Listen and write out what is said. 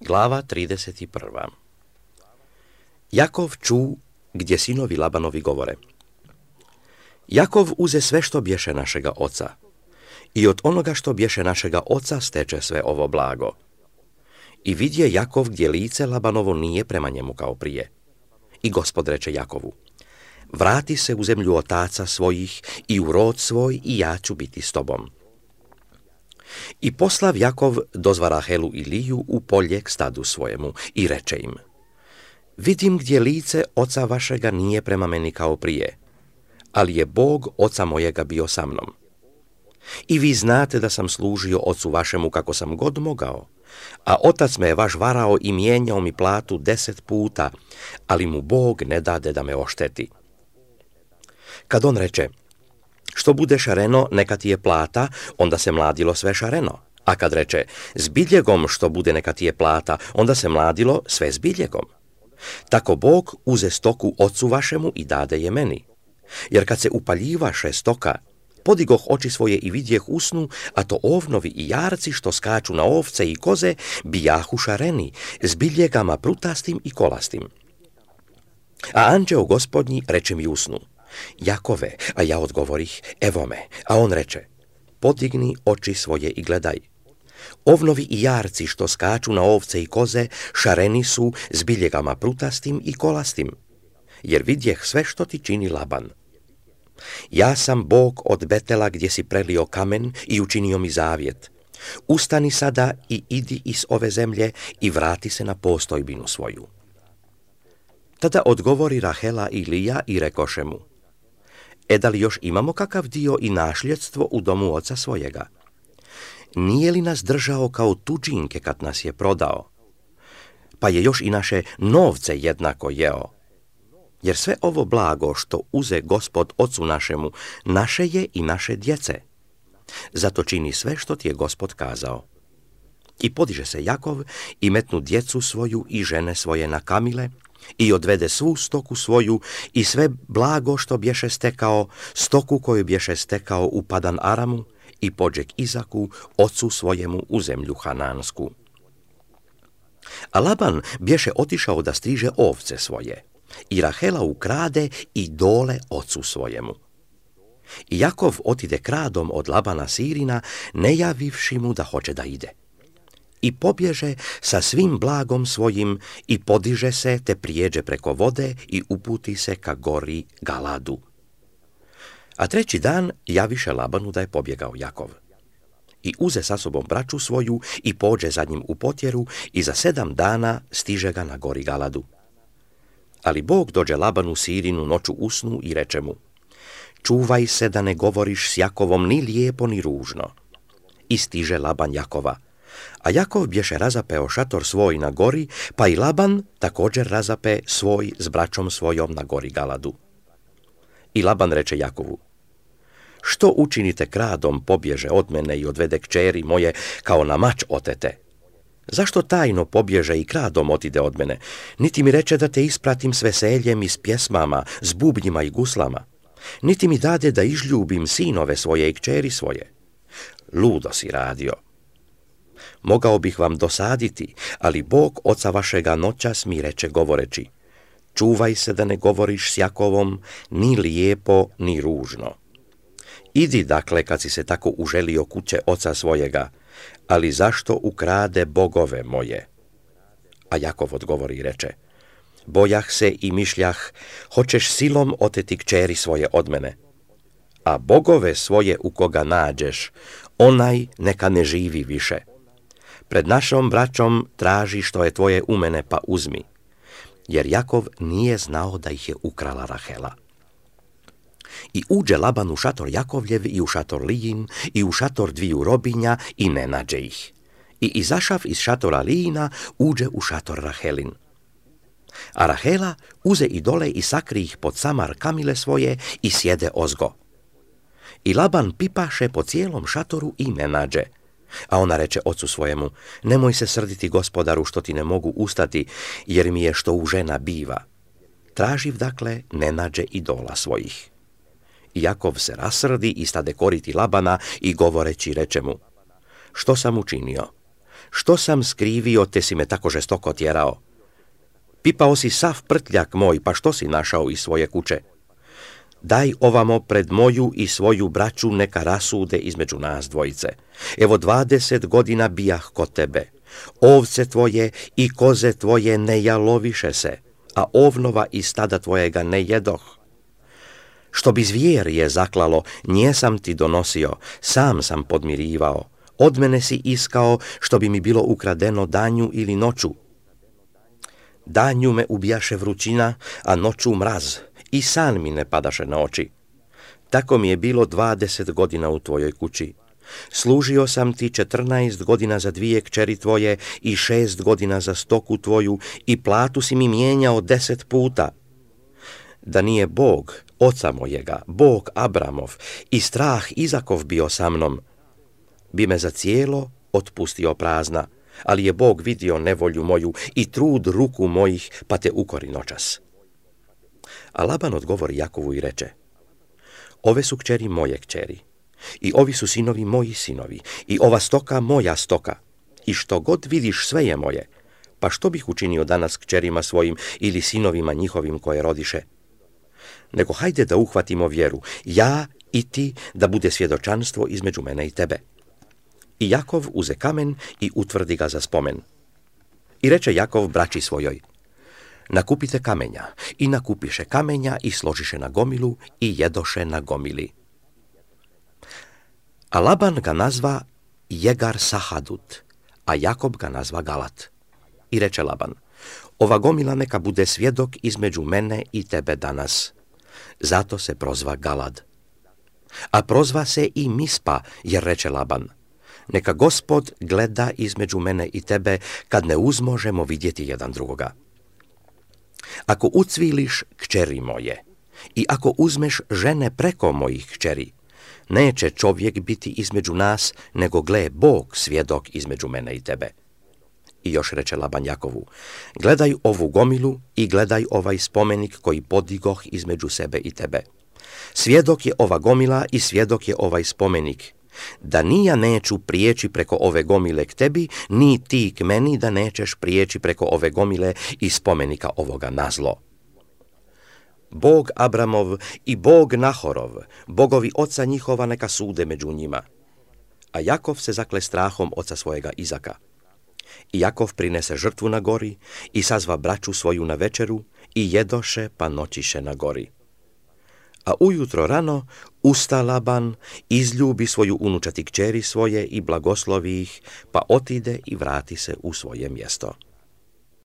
Glava 31. Jakov ču, gdje sinovi Labanovi govore. Jakov uze sve što bješe našega oca i od onoga što bješe našega oca steče sve ovo blago. I vidje Jakov gdje lice Labanovo nije prema njemu kao prije. I Gospod reče Jakovu, vrati se u zemlju otaca svojih i u rod svoj i ja ću biti s tobom. I poslav Jakov dozva Rahelu i Liju u polje k stadu svojemu i reče im, vidim gdje lice oca vašega nije prema meni kao prije, ali je Bog oca mojega bio sa mnom. I vi znate da sam služio ocu vašemu kako sam god mogao, a otac me je vaš varao i mijenjao mi platu 10 puta, ali mu Bog ne dade da me ošteti. Kad on reče, što bude šareno, neka ti je plata, onda se mladilo sve šareno. A kad reče, s biljegom što bude neka ti je plata, onda se mladilo sve s biljegom. Tako Bog uze stoku ocu vašemu i dade je meni. Jer kad se upaljivaše stoka, podigoh oči svoje i vidjeh usnu, a to ovnovi i jarci što skaču na ovce i koze, bijahu šareni, s biljegama prutastim i kolastim. A anđeo gospodnji reče mi usnu, Jakove, a ja odgovorih, evo me, a on reče, podigni oči svoje i gledaj. Ovnovi i jarci što skaču na ovce i koze, šareni su s biljegama prutastim i kolastim, jer vidjeh sve što ti čini Laban. Ja sam Bog od Betela gdje si prelio kamen i učinio mi zavjet. Ustani sada i idi iz ove zemlje i vrati se na postojbinu svoju. Tada odgovori Rahela i Lija i rekoše mu, da li još imamo kakav dio i našljedstvo u domu oca svojega? Nije li nas držao kao tuđinke kad nas je prodao? Pa je još i naše novce jednako jeo. Jer sve ovo blago što uze Gospod ocu našemu, naše je i naše djece. Zato čini sve što ti je Gospod kazao. I podiže se Jakov i metnu djecu svoju i žene svoje na kamile i odvede svu stoku svoju i sve blago što bješe stekao, stoku koju bješe stekao u Padan Aramu i pođe k Izaku, ocu svojemu u zemlju Hanansku. A Laban bješe otišao da striže ovce svoje. I Rahela ukrade i dole ocu svojemu. I Jakov otide kradom od Labana Sirina, ne javivši mu da hoće da ide. I pobježe sa svim blagom svojim i podiže se te prijeđe preko vode i uputi se ka gori Galadu. A treći dan javiše Labanu da je pobjegao Jakov. I uze sa sobom braću svoju i pođe za njim u potjeru i za 7 dana stiže ga na gori Galadu. Ali Bog dođe Labanu Sirinu noću usnu i reče mu, čuvaj se da ne govoriš s Jakovom ni lijepo ni ružno. I stiže Laban Jakova. A Jakov bješe razapeo šator svoj na gori, pa i Laban također razape svoj s braćom svojom na gori Galadu. I Laban reče Jakovu, što učinite kradom pobježe od mene i odvede kćeri moje kao na mač otete? Zašto tajno pobježe i kradom otide od mene? Niti mi reče da te ispratim s veseljem i s pjesmama, s bubnjima i guslama. Niti mi dade da izljubim sinove svoje i kćeri svoje. Ludo si radio. Mogao bih vam dosaditi, ali Bog oca vašega noćas mi reče govoreći, čuvaj se da ne govoriš s Jakovom ni lijepo ni ružno. Idi dakle kad si se tako uželio kuće oca svojega, ali zašto ukrade bogove moje? A Jakov odgovori i reče, bojah se i mišljah, hoćeš silom oteti kćeri svoje od mene. A bogove svoje u koga nađeš, onaj neka ne živi više. Pred našom braćom traži što je tvoje u mene pa uzmi. Jer Jakov nije znao da ih je ukrala Rahela. I uđe Laban u šator Jakovljev i u šator Lijin i u šator dviju robinja i ne nađe ih. I izašav iz šatora Lijina uđe u šator Rahelin. A Rahela uze i dole i sakri ih pod samar kamile svoje i sjede ozgo. I Laban pipaše po cijelom šatoru i ne nađe. A ona reče ocu svojemu, nemoj se srditi gospodaru što ti ne mogu ustati, jer mi je što u žena biva. Traživ dakle ne nađe idola svojih. Jakov se rasrdi i stade koriti Labana i govoreći reče mu, što sam učinio? Što sam skrivio, te si me tako žestoko tjerao? Pipao si sav prtljak moj, pa što si našao iz svoje kuće? Daj ovamo pred moju i svoju braću, neka rasude između nas dvojice. Evo 20 godina bijah kod tebe. Ovce tvoje i koze tvoje ne jaloviše se, a ovnova i stada tvojega ne jedoh. Što bi zvijer je zaklalo, nje sam ti donosio, sam sam podmirivao. Od mene si iskao što bi mi bilo ukradeno danju ili noću. Danju me ubijaše vrućina, a noću mraz, i san mi ne padaše na oči. Tako mi je bilo 20 godina u tvojoj kući. Služio sam ti 14 godina za 2 kćeri tvoje i 6 godina za stoku tvoju i platu si mi mijenjao 10 puta. Da nije Bog, oca mojega, Bog Abramov i strah Izakov bio sa mnom, bi me za cijelo otpustio prazna, ali je Bog vidio nevolju moju i trud ruku mojih, pa te ukori noćas. A Laban odgovori Jakovu i reče: ove su kćeri moje kćeri, i ovi su sinovi moji sinovi, i ova stoka moja stoka, i što god vidiš sve je moje, pa što bih učinio danas kćerima svojim ili sinovima njihovim koje rodiše? Nego hajde da uhvatimo vjeru, ja i ti, da bude svjedočanstvo između mene i tebe. I Jakov uze kamen i utvrdi ga za spomen. I reče Jakov braći svojoj: nakupite kamenja, i nakupiše kamenja i složiše na gomilu i jedoše na gomili. A Laban ga nazva Jegar Sahadut, a Jakob ga nazva Galat. I reče Laban: ova gomila neka bude svjedok između mene i tebe danas. Zato se prozva Galad. A prozva se i Mispa, jer reče Laban: neka Gospod gleda između mene i tebe, kad ne uzmožemo vidjeti jedan drugoga. Ako ucviliš kćeri moje i ako uzmeš žene preko mojih kćeri, neće čovjek biti između nas, nego gle Bog svjedok između mene i tebe. I još reče Laban Jakovu: gledaj ovu gomilu i gledaj ovaj spomenik koji podigoh između sebe i tebe. Svjedok je ova gomila i svjedok je ovaj spomenik, da ni ja neću prijeći preko ove gomile k tebi, ni ti k meni da nećeš prijeći preko ove gomile i spomenika ovoga na zlo. Bog Abramov i Bog Nahorov, bogovi oca njihova, neka sude među njima. A Jakov se zakle strahom oca svojega Izaka. I Jakov prinese žrtvu na gori i sazva braću svoju na večeru i jedoše pa noćiše na gori. A ujutro rano usta Laban, izljubi svoju unučati kćeri svoje i blagoslovi ih, pa otide i vrati se u svoje mjesto.